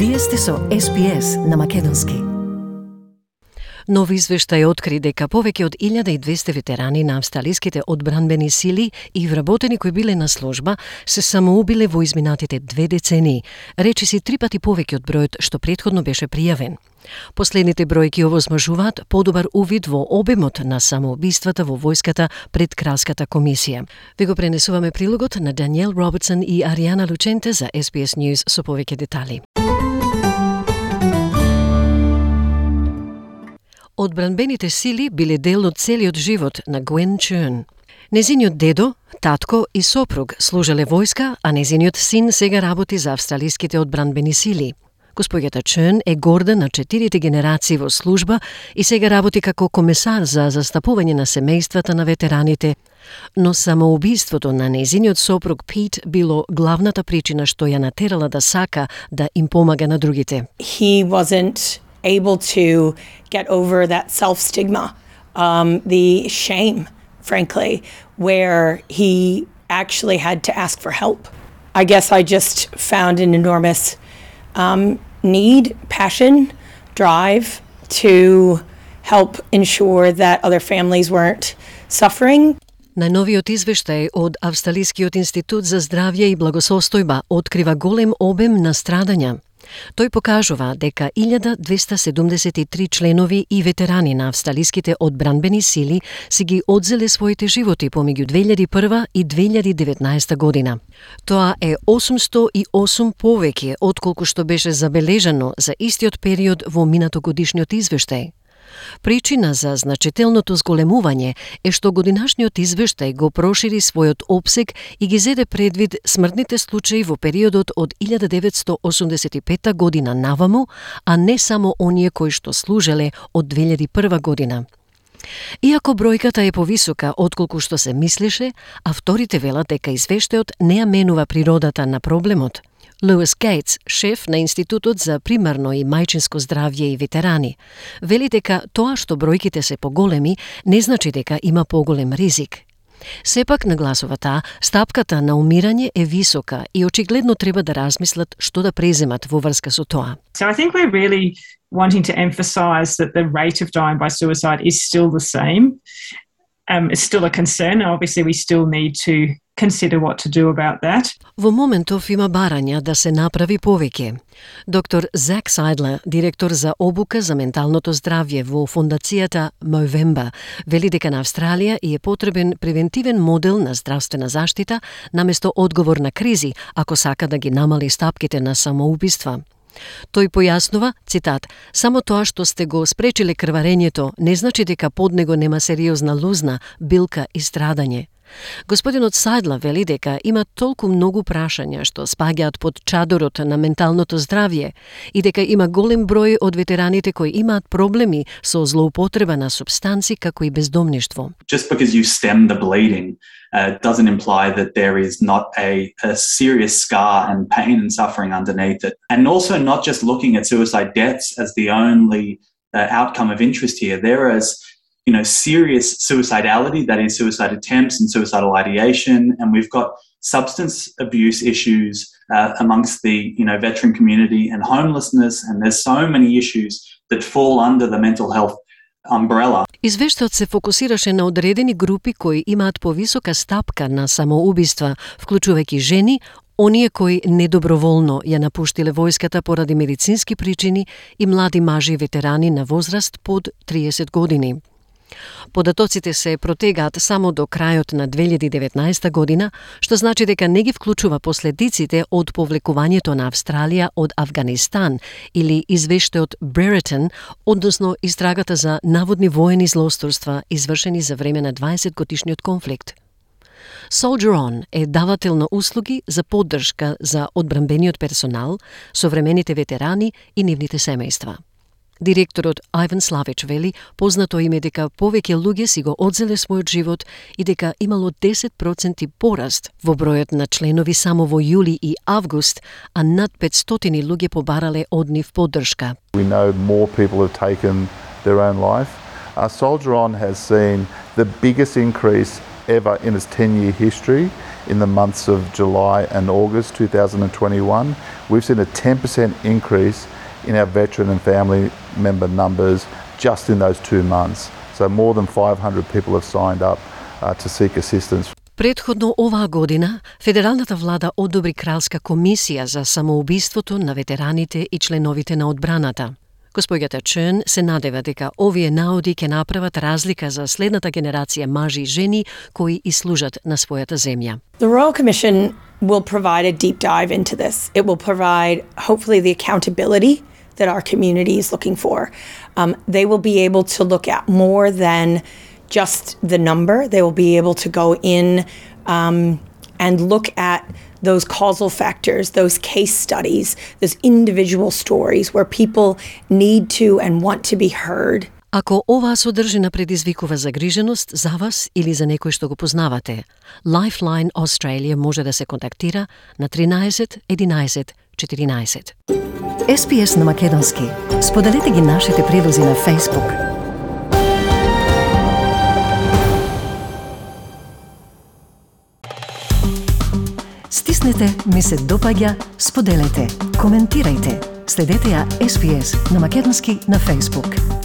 Вие сте со SPS на македонски. Нов извештај откри дека повеќе од 1200 ветерани на австралиските одбранбени сили и вработени кои биле на служба се самоубиле во изминатите 2 децении, речиси 3 пати повеќе од бројот што претходно беше пријавен. Последните бројки овозможуваат подобар увид во обемот на самоубиствата во војската пред Кралската комисија. Ви го пренесуваме прилогот на Даниел Робертсон и Ариана Лученте за SBS News со повеќе детали. Одбранбените сили биле дел од целиот живот на Гвен Чун. Незиниот дедо, татко и сопруг служеле војска, а незиниот син сега работи за австралиските одбранбени сили. Госпоѓата Чун е горда на 4 генерации во служба и сега работи како комесар за застапување на семејствата на ветераните, но самоубиството на незиниот сопруг Пит било главната причина што ја натерала да сака да им помага на другите. He wasn't able to get over that self-stigma, the shame, frankly, where he actually had to ask for help. I guess I just found an enormous need, passion, drive to help ensure that other families weren't suffering. Најновиот извештај од Австралискиот институт за здравје и благосостојба открива голем обем на страдања. Тој покажува дека 1273 членови и ветерани на австралиските одбранбени сили си ги одзеле своите животи помеѓу 2001 и 2019 година. Тоа е 808 повеќе отколку што беше забележано за истиот период во минатогодишниот извештај. Причина за значителното зголемување е што годинашниот извештај го прошири својот опсег и ги зеде предвид смртните случаи во периодот од 1985 година наваму, а не само оние кои што служеле од 2001 година. Иако бројката е повисока отколку што се мислеше, авторите велат дека извештајот не ја менува природата на проблемот. Луис Гейтс, шеф на Институтот за примарно и мајчинско здравје и ветерани, вели дека тоа што бројките се поголеми не значи дека има поголем ризик. Сепак, нагласува таа, стапката на умирање е висока и очигледно треба да размислат што да преземат во врска со тоа. So I think we're really wanting to emphasize that the rate of dying by suicide is still the same. It's still a concern. Obviously, we still need to consider what to do about that. Во моментов има барања да се направи повеќе. Доктор Зак Сайдлер, директор за обука за менталното здравје во фондацијата Movember, вели дека на Австралија е потребен превентивен модел на здравствена заштита наместо одговор на кризи, ако сака да ги намали стапките на самоубиства. Тој појаснува, цитат, само тоа што сте го спречиле крварењето не значи дека под него нема сериозна лузна, билка и страдање. Господинот Сайдла вели дека има толку многу прашања што спаѓаат под чадорот на менталното здравје и дека има голем број од ветераните кои имаат проблеми со злоупотреба на супстанци како и бездомништво. Just because you stem the bleeding doesn't imply that there is not a serious scar and pain and suffering underneath it. And also not just looking at suicide deaths as the only outcome of interest here. There is serious suicidality, that is suicide attempts and suicidal ideation, and we've got substance abuse issues amongst the veteran community and homelessness, and there's so many issues that fall under the mental health umbrella. Извештајот се фокусираше на одредени групи кои имаат повисока стапка на самоубиства, вклучувајќи жени, оние кои недоброволно ја напуштиле војската поради медицински причини и млади мажи ветерани на возраст под 30 години. Податоците се протегаат само до крајот на 2019 година, што значи дека не ги вклучува последиците од повлекувањето на Австралија од Авганистан или извештајот Brereton, односно истрагата за наводни воени злосторства извршени за време на 20-годишниот конфликт. Soldier On е давател на услуги за поддршка за одбранбениот персонал, современите ветерани и нивните семејства. Директорот Айван Славич вели, познато име дека повеќе луѓе си го одзеле својот живот и дека имало 10% пораст во бројот на членови само во јули и август, а над 500 луѓе побарале од нив поддршка. We know more people have taken their own life. Soldier On has seen the biggest increase ever in its 10-year history. In the months of July and August 2021, we've seen a 10% increase in our veteran and family member numbers just in those 2 months. So more than 500 people have signed up to seek assistance. Предходно оваа година, федералната влада одобри кралска комисија за самоубиството на ветераните и членовите на одбраната. Госпоѓата Чен се надева дека овие наоди ќе направат разлика за следната генерација мажи и жени кои и служат на својата земја. The Royal Commission will provide a deep dive into this. It will provide, hopefully, the accountability that our community is looking for. They will be able to look at more than just the number. They will be able to go in and look at those causal factors, those case studies, those individual stories where people need to and want to be heard. Ако оваа содржина предизвикува загриженост за вас или за некој што го познавате, Lifeline Australia може да се контактира на 13 11 14. SPS на македонски. Споделете ги нашите прилози на Facebook. Стиснете ми се допаѓа, споделете, коментирајте. Следете ја SPS на македонски на Facebook.